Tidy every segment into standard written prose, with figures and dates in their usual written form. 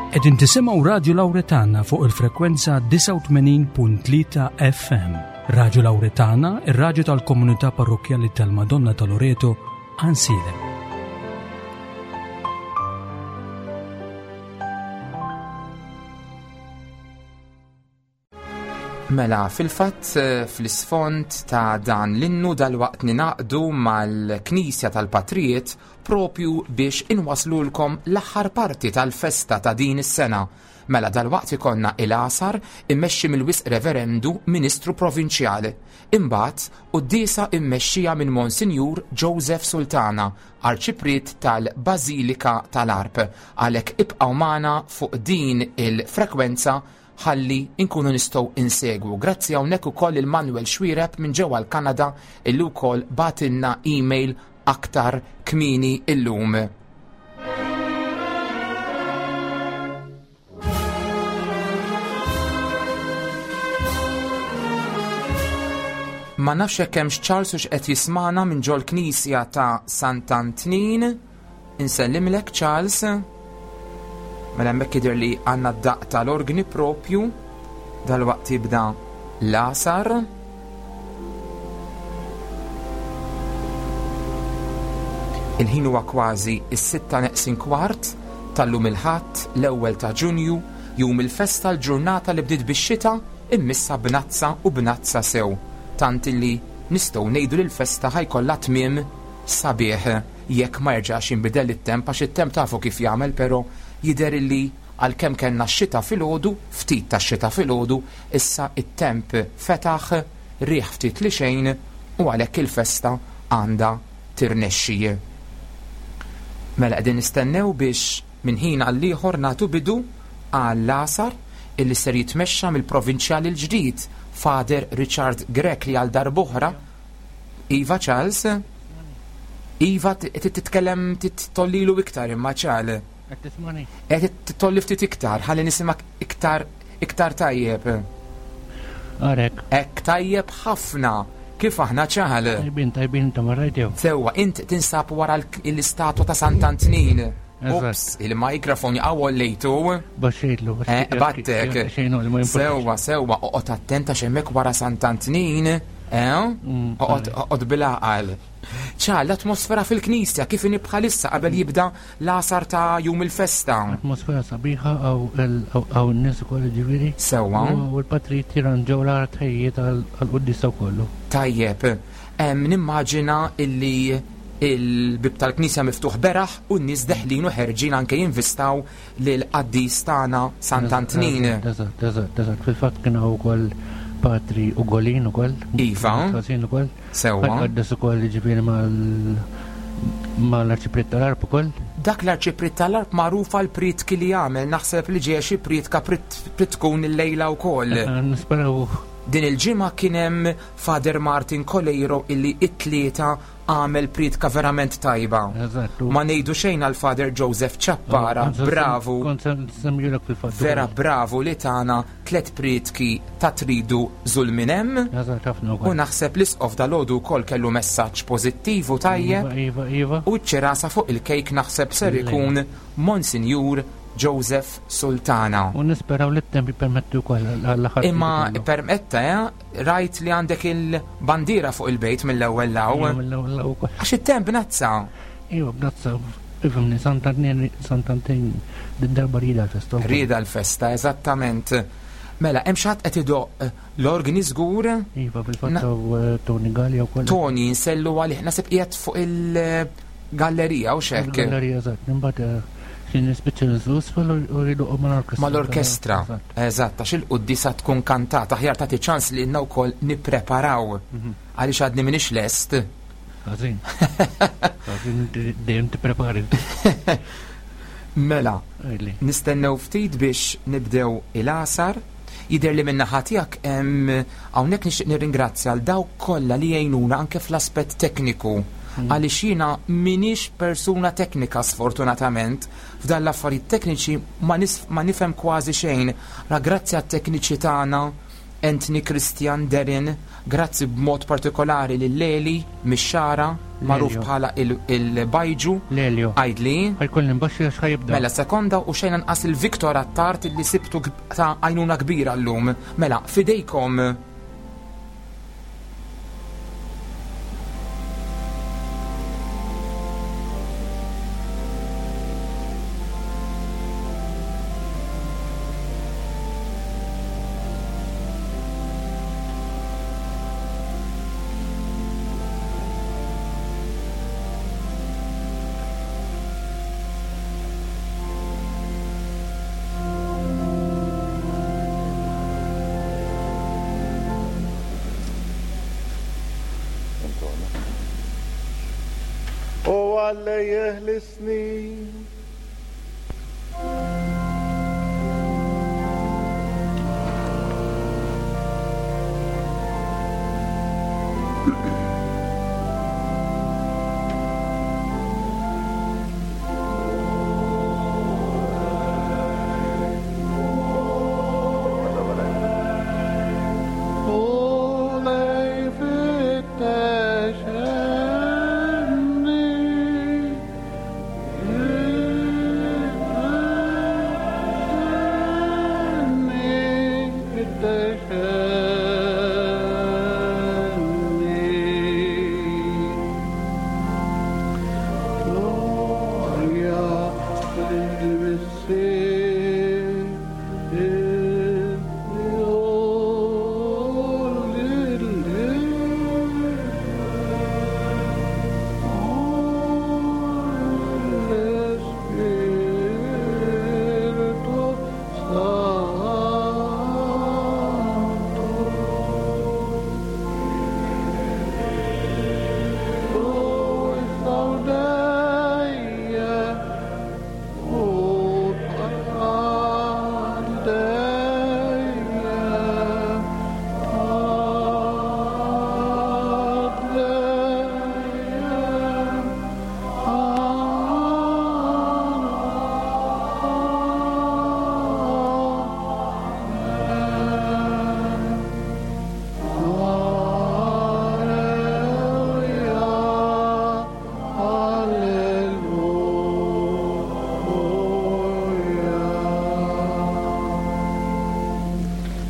Qegħdin tisimgħu Radju Lawretana fuq il-frekwenza 89.3 FM. Radju Lawretana, ir-radju tal-komunità parrokkjali tal-Madonna ta' Loreto, Għansielem. Mela, fil-fatt eh, fl-isfond ta' dan l-innu dal-waqt ninaqdu mal-Knisja tal-Patrijiet propju biex inwaslulkom l-aħħar parti tal-festa ta' din is-sena. Mela dal-waqt ikonna il-għasar immexxi mill-Wisq Reverendu Ministru Provinċjal. Imbagħad quddiesa immexxija minn Monsinjur Joseph Sultana, Arċipriet tal-Bażilika tal-Għarb. Għalhekk ibqgħu magħna fuq din il-frekwenza ħalli nkunu nistgħu insegwu. Grazzi hawnhekk ukoll il Manuel Xwireb minn ġewwa l-Kanada illi wkoll batilna email aktar kmieni illum. Ma nafx hekk hemmx Charles u x'qed jismana minn ġol knisja ta' Sant'Antnin. Insellimlek Charles. Mela hemmhekk jidher li għandna d-daqq tal-orgni propju dalwaqt jibda l-għasar. Il-ħin huwa kważi is-sitta neqsin kwart tal-lum il-Ħadd, l-ewwel ta' Ġunju, jum il-festa l-ġurnata li bdiet bix-xita immissa bnazza u bnazza sew, tant illi nistgħu ngħidu li l-festa ħa jkollha tmiem sabiħ jekk ma jerġax jinbidel it-temp għax it-temp tafu kif jagħmel pero jidher illi għalkemm kellna x-xita filgħodu, ftit tax-xita filgħodu, issa it-temp fetaħ, riħ ftit li xejn u għalhekk il-festa għandha tirnexxi. Mela qegħdin nistennew biex minn ħin għall-ieħor nagħtu bidu għall-għasar illi ser jitmexxa mill-Provinċjal il-ġdid Father Richard Grech li għal darb'oħra Iva Charles? Iva trid titkellem tollilu iktar imma Charles. Qed tismani? Qed tolli ftit iktar, ħalli nisimgħek iktar iktar tajjeb. Arek. Hekk tajjeb ħafna. Kif aħna ċaħal? Tajbin, tajbin ta' marrajtew. Sewwa, int tinsab wara l-istatwa ta' Sant'Antnin. Ups, il-mikrofon jaqgħu lejtu. Baxxejtlu. Eh, battek. Sewwa, sewwa, oqgħod attenta x'hemmhekk wara Sant'Antnin. Eh? Mm, oqgħod bil-għaqal. ċa, l-atmosfera fil-knisja kif inhi bħalissa qabel jibda l-għasar ta' jum il-festa. Atmosfera sabiħa għaw n-nies ukoll ġifieri. Sewwa. U l-patrijiet jirranġaw l-art ħejjiet għall-quddiesa kollu. Tajjeb. Nimmaġina illi il-bib tal-knisja miftuħ beraħ u n-nies deħlin u ħerġin anke jinvistaw lill-qaddis tagħna Sant'Antnin. Eżatt, eżatt, eżatt. Fil-fatt kien hawn ukoll patri Ugolin ukoll. Iva. Ħażin ukoll. Sewwa. Qaddes ukoll jiġifieri mal mal-arċipriet tal-Arp ukoll. Dak l-arċipriet tal-Arp magħruf għal prietki li jagħmel, naħseb li ġejja xi prietka tkun illejla wkoll. Nisperaw. Din il-ġimgħa kien hemm Father Martin Coleiro illi it-tlieta għamel prietka verament tajba. Ma ngħidu xejn għal Father Joseph Ciappara, bravu. Vera bravu li tana tlet prietki ta' tridu żul minn hemm. U naħseb l-isqof dalgħodu wkoll kellu messaġġ pożittiv u tajjeb. Iva, iva, iva. U ċ-ċirasa fuq il-kejk naħseb ser ikun Monsinjur Joseph Sultana. U nisperaw li t-temp jippermetti wkoll għall-aħħar. Imma permetta, eh? Rajt li għandek il-bandiera fuq il-bejt mill-ewwel law. Mill-ewwel law ukoll. Għax it-temp bnazza. Iva bnazza, ifhimni Sant'Antnin Sant'Antnin din darba rieda l-festa. Rieda l-festa, eżattament. Mela, hemm xi ħadd qed idoqq l-organi żgur? Iva, fil-fatt eh, Tony Gallia wkoll. Tony nsellu għalih nasib qiegħed fuq il-gallerija u xekk. Il-gallerija eżatt, imbagħad eh, Xi nispiċċa ninżlu isfel u jdoqqu mal-orkestra. Mal-orkestra, eżatt, għax il-quddiesa tkun kantata, aħjar tagħti ċans lilna wkoll nippreparaw. Mhm. Għaliex għadni m'iniex lest. Ħażin. Ħażin dejjem tipprepari. Mela, nistennew ftit biex nibdew il-għasar. Jidher li min-naħa tiegħek hemm hawnhekk nixtieq nirringrazzja għal dawk kollha li jgħinuna anke fl-aspett tekniku. Mm. Għaliex jiena m'iniex persuna teknika sfortunatament, f'dan l-affarijiet tekniċi ma, ma nifhem kważi xejn. Ra grazzi għat-tekniċi tagħna Anthony, Christian, Darren, grazzi b'mod partikolari lil Leli mix-Xagħra, magħruf bħala il-Bajġu. Lelio. Għidli. Ħa jkolli nbaxxi għax ħa jibda. Mela sekonda u xejn anqas il Victor Attard li sibtu ta' għajnuna kbira llum. Mela, f'idejkom. U Alla jeħlisni.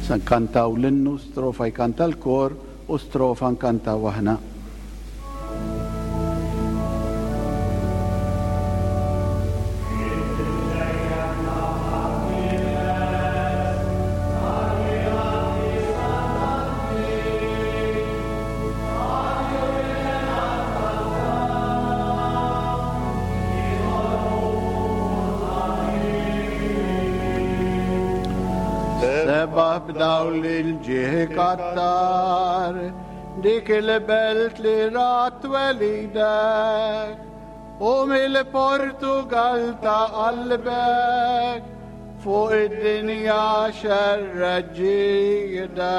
Se nkantaw l-innu, strofa jkanta l-kor u strofa nkantaw aħna. Sebaħ b'dawl il-ġieħ kattar, dik il-belt li rat twelidek, u mill-Portugal ta' qalbek, fuq id-dinja xerred ġidek.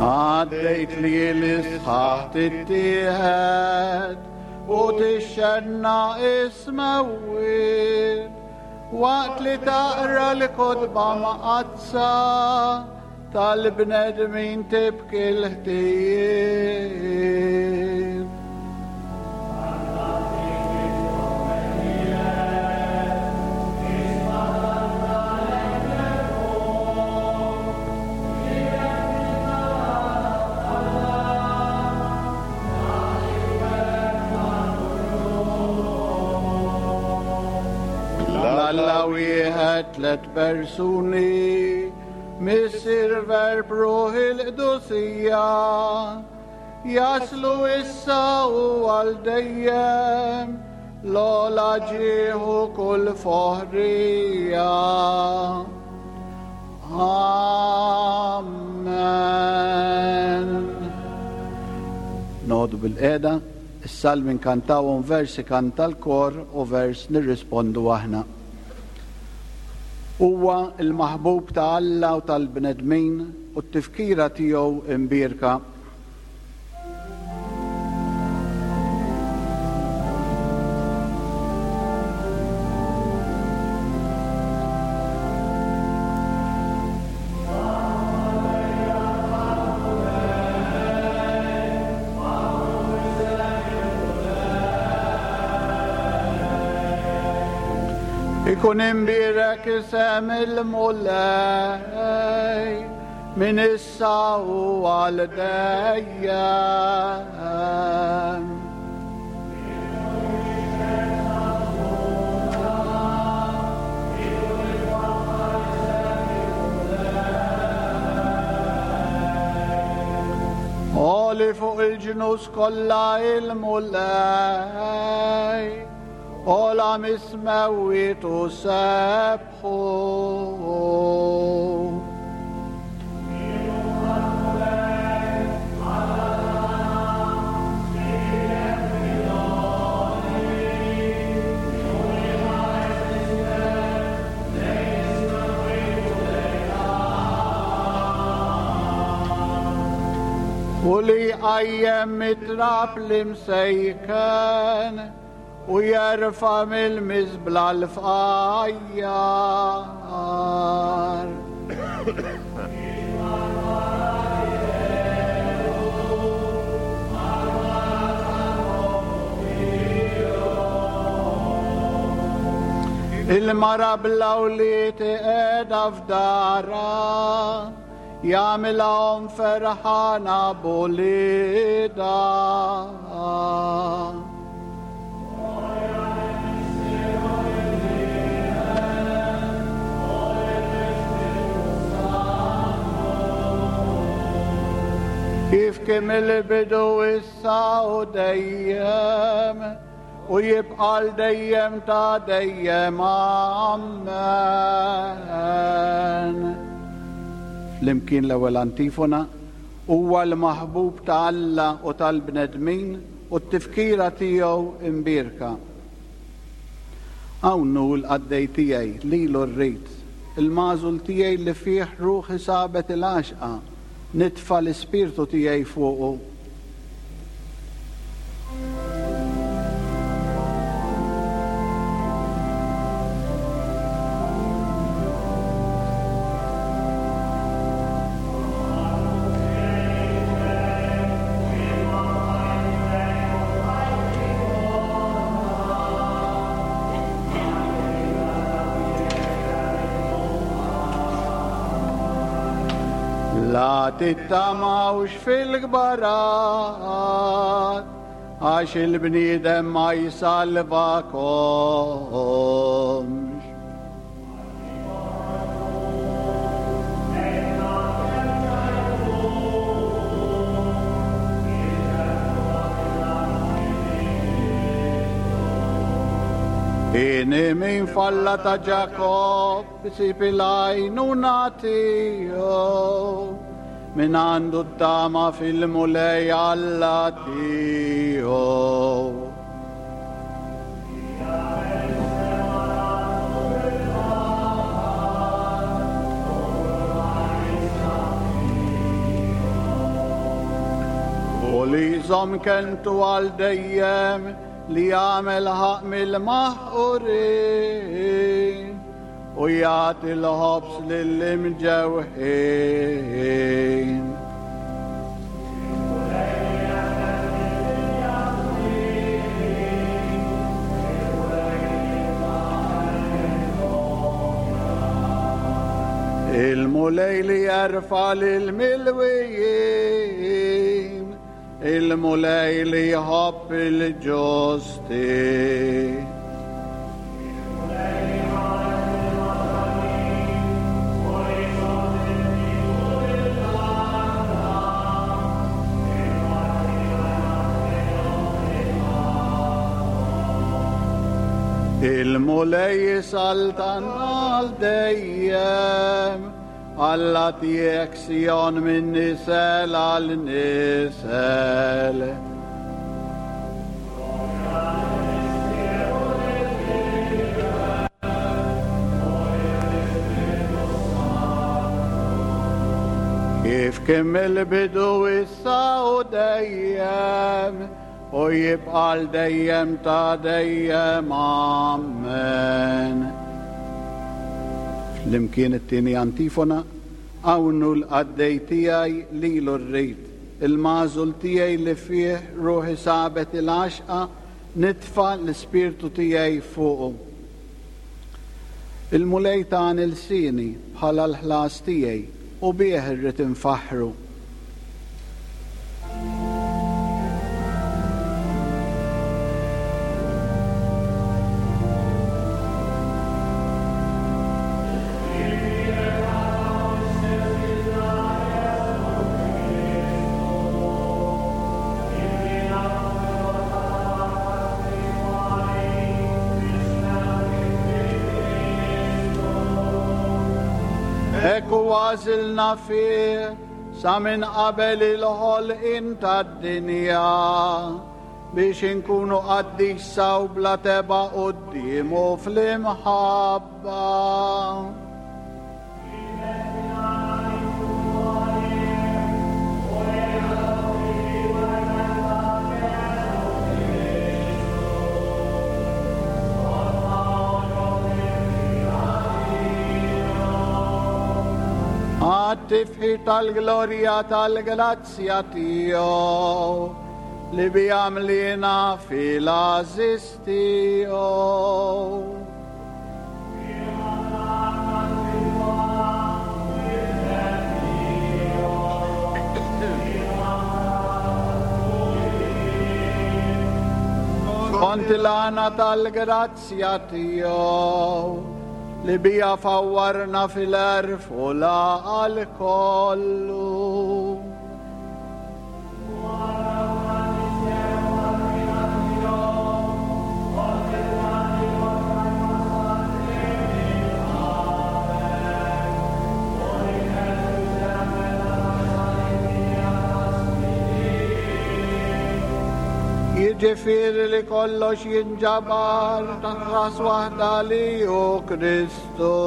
Għaddejt li l-isħaħ tittieħed u tixxenna ismewwiet waqt li taqra l-kotba maqazza tal-bnedmin tibki l-ħtijiet. Alla wieħed tlet persuni, Missier Verb Ruħ il-Qdusija, jaslu issa u għal dejjem l-ogħla ġieħ u kull foħrija. Amen. Noqogħdu bil-qiegħda, is-salmi nkantawhom vers ikanta l-kor u vers nirrispondu aħna. Huwa l-maħbub ta' Alla u tal-bnedmin u t-tifkira tiegħu imbierka. Ikun imbierek isem il-Mulej minn issa u għal dejjem. Għoli fuq il-ġnus kollha il-Mulej, għola mis-smewwiet u sebħu. U li jqajjem mit-trab l-imsejken u jerfa' mill-miżbla l-fqajjar. Il-mara bla wlied iqiegħda f'darha, jagħmilha omm ferħana b'uliedha. Kif kien mill-bidu issa u dejjem u jibqa' għal dejjem ta' dejjem. Amen. Flimkien l-ewwel antifona, Huwa l-maħbub ta' Alla u tal-bnedmin u t-tifkira tiegħu imbierka. Hawn hu l-qaddej tiegħi, lilu rrid, il-magħżul tiegħi li fih ruħi sabet il-għaxqa, nitfa' l-ispirtu tiegħi fuqu. La tittamawx fil-kbarat, għax il-bniedem ma jsalvakomx. Hieni min falla ta' Ġakobb isib il-għajnuna tiegħu, min għandu t-tama fil-Mulej Alla tiegħu. U li jżomm kelmtu għal dejjem li jagħmel ħaqq mill-maħqurin u jagħti l-ħobż lill-imġewħin. Il-Mulej li jerfa' lill-milwijin, il-Mulej li jħobb il-ġusti. Il-Mulej jisaltan għal dejjem, Alla tiegħek Sijon minn nisel għal nisel. Kif kien mill-bidu issa u dejjem u jibqa' għal dejjem ta' dejjem. Amen. Flimkien it-tieni antifona, Hawn hu l-qaddej tiegħi lilu rrid, il-magħżul tiegħi li fih ruħi sabet il-għaxqa, nitfa' l-ispirtu tiegħi fuqu. Il-Mulej tani lsieni bħala l-ħlas tiegħi, u bih irrid infaħħru. Hekk hu għażilna fih sa minn qabel il-ħolqien tad-dinja biex inkunu qaddisa u bla tebgħa quddiemu fl-imħabba. Għat-tifħir tal-glorja tal-grazzja tiegħu li biha mliena fil-għażiż tiegħu. Skont il-għana tal-grazzja tiegħu li bija fawwarna fil-għerf u l-għaqal kollu. Jiġifieri li kollox jinġabar taħt ras waħda li hu Kristu,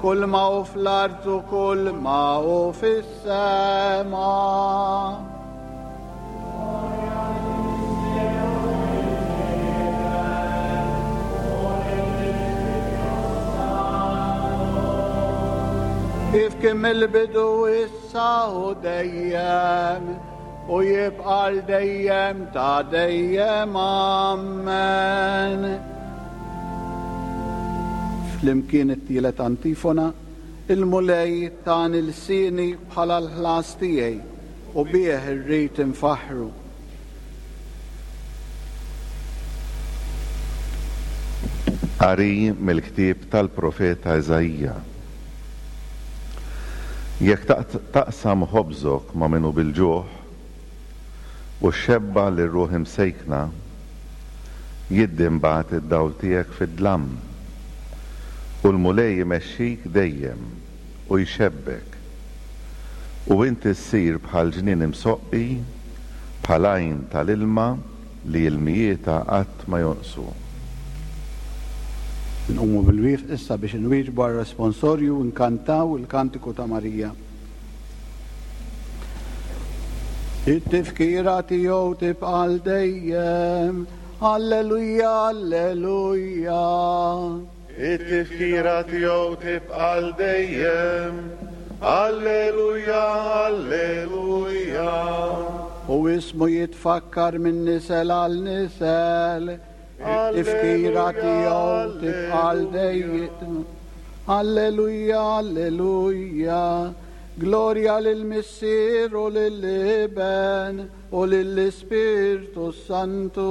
kull ma hu fl-art u kull ma hu fis Sema. Kif kien mill-bidu issa u dejjem u jibqa' għal dejjem ta' dejjem. Amen. Flimkien it-tielet antifona Il-Mulej tani lsieni bħala l-ħlas tiegħi, u bih irrid infaħħru. Qari mill-ktieb tal-profeta Iżaija. Jekk taqsam ħobżok ma' min hu bil-ġuħ, u xxebba' lir-ruħ imsejkna, jiddi mbagħad id-dawl tiegħek fid-dlam, u l-Mulej imexxik dejjem u jxebbek, u inti ssir bħal ġnien imsoqqi, bħal għajn tal-ilma li ilmijietha qatt ma jonqsu. Inqumu bil-wieqf issa biex inwieġbu għar-responsorju u nkantaw il-Kantiku ta' Marija. It-tifkira tiegħu tibqa' għal dejjem. Alleluja, alleluja. It-tifkira tiegħu tibqa' għal dejjem. Alleluja, alleluja. U ismu jitfakkar minn nisel għal nisel. It-tifkira tiegħu tibqa' għal dejjem. Alleluja, alleluja. Glorja lill-Missier u lill-Iben u lill-Ispirtu s-Santu.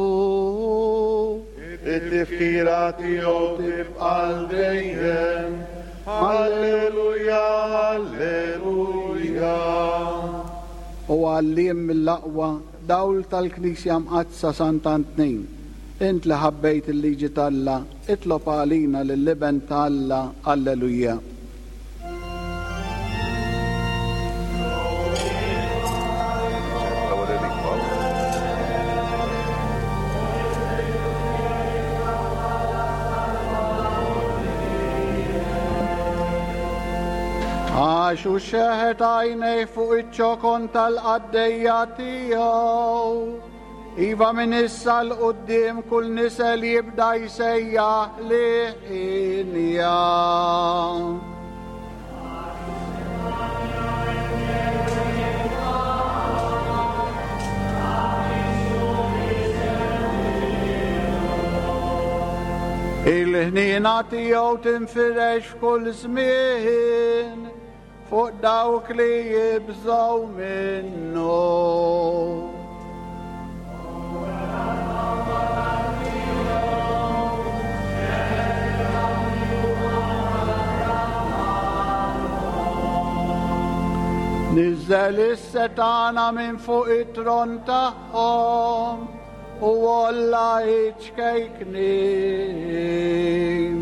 It-tifkira tiegħu tibqa' għal dejjem. Alleluja, alleluja. O Għalliem mill-aqwa, dawl tal-Knisja Mqaddsa Sant'Antnin, int li ħabbejt il-liġi t'Alla, itlob għalina lill-Iben ta' Alla. Alleluja. Għax. Għaliex hu xeħet għajnejh fuq iċ-ċokon tal-qaddejja tiegħu. Iva minn issa 'l quddiem kull nisel jibda jsejjaħ li hienja. Il-ħniena tiegħu tinfirex f'kull żmien fuq dawk li jibżgħu minnu. Niżżel is-setgħana minn fuq it-tron tagħhom u għolla iċ-ċkejknin.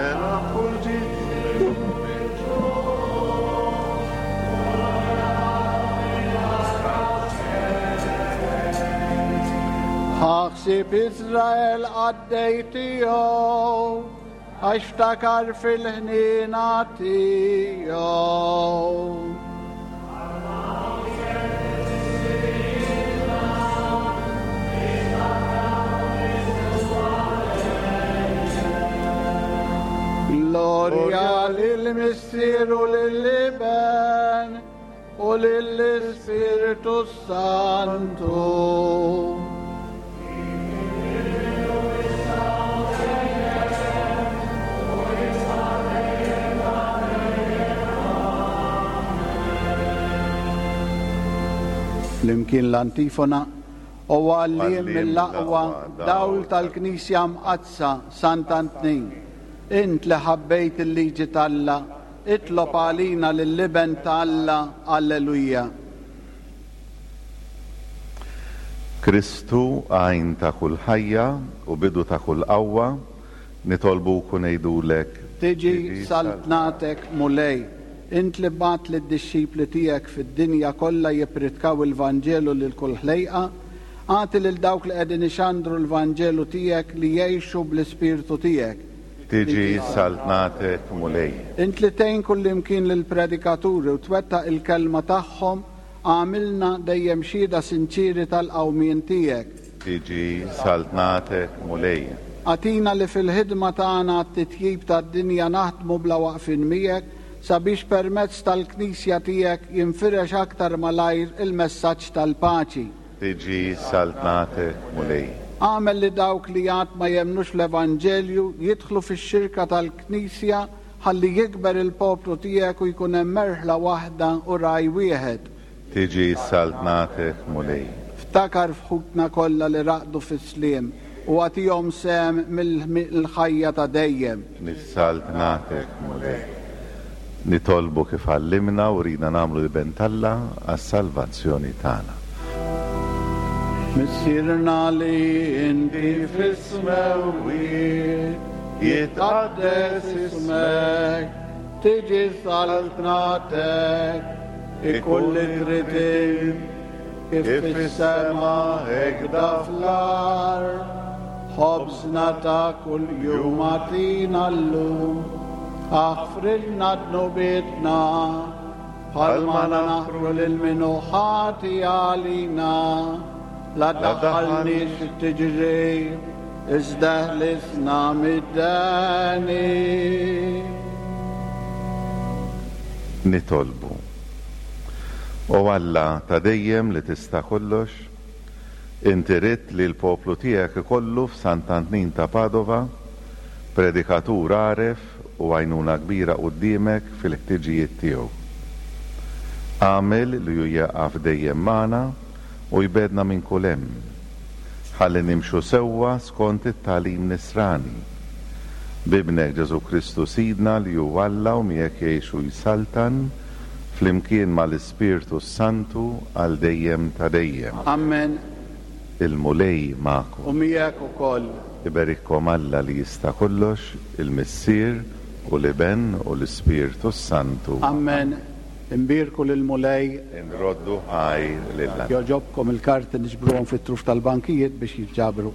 Ela kull ġid Ħa ħsieb Iżrael qaddej tiegħu, għax ftakar fil-ħniena tiegħu. Glorja lill-Missier u lill-Iben u lill-Ispirtu Santu. Flimkien l-antifona, O għalliem mill-aqwa, dawl tal-Knisja Mqaddsa, Sant'Antnin, int li ħabbejt il-liġi t'Alla, Itlob għalina lill-Iben ta' Alla. Alleluja. Kristu, għajn ta' kull ħajja u bidu ta' kull qawwa, nitolbuk u ngħidulek. Tiġi saltnatek, Mulej. Int li bgħatt lid-dixxipli tiegħek fid-dinja kollha jippritkaw il-Vanġelu lil kull ħlejqa, agħti lil dawk li qegħdin ixandru l-Vanġelu tiegħek li jgħixu bl-Ispirtu tiegħek. Tiġi saltnatek, Mulej. Int li tgħin kullimkien lill-predikaturi u twettaq il-kelma tagħhom, agħmilna dejjem xhieda sinċieri tal-qawmien tiegħek. Tiġi saltnatek, Mulej. Agħtina li fil-ħidma tagħna għat-titjib tad-dinja naħdmu bla waqfien miegħek sabiex permezz tal-Knisja tiegħek jinfirex aktar malajr il-messaġġ tal-paċi. Tiġi saltnatek, Mulej. Agħmel li dawk li għad ma jemmnux fl-Evanġelju jidħlu fix-xirka tal-Knisja ħalli jikber il-poplu tiegħek u jkun hemm merħla waħda u ragħaj wieħed. Tiġi saltnatek, Mulej. Ftakar f'ħutna kollha li raqdu fis-sliem u agħtihom sehem mill-ħajja ta' dejjem. Saltnatek, Mulej. Nitolbu kif għallimna u ridna nagħmlu l-Iben t'Alla għas-salvazzjoni tagħna. Missierna li inti fis-smewwiet, jitqaddes ismek, tiġi saltnatek, ikun li trid int, kif fis-sema hekda fl-art. Ħobżna ta' kuljum agħtina llum, aħfrilna dnubietna, bħalma naħfru lil min hu ħati għalina, la ddaħħalniex fit-tiġrib, iżda ħlisna mid-deni. Nitolbu. O Alla ta' dejjem li tista' kollox, Inti ridt li l-poplu tiegħek ikollu f'Sant'Antnin ta' Padova predikatur għaref u għajnuna kbira quddiemek fil-ħtiġijiet tiegħu. Agħmel li hu jieqaf dejjem magħna u jbegħdna minn kull hemm, ħalli nimxu sewwa skont it-tagħlim nisrani. B'Ibnek Ġesù Kristu Sidna li hu Alla u miegħek jgħix u jsaltan flimkien ma' l-Ispirtu s-Santu għal dejjem ta' dejjem. Amen. Il-Mulej magħkom. U miegħek ukoll. Iberikkom Alla li jista' kollox, il-Missier, u l-Iben, u l-Ispirtu s-Santu. Amen. Inbierku lill-Mulej. Inroddu ħajr lil Alla. Jogħġobkom il-karti niġbruhom fit-truf tal-bankijiet biex jinġabru.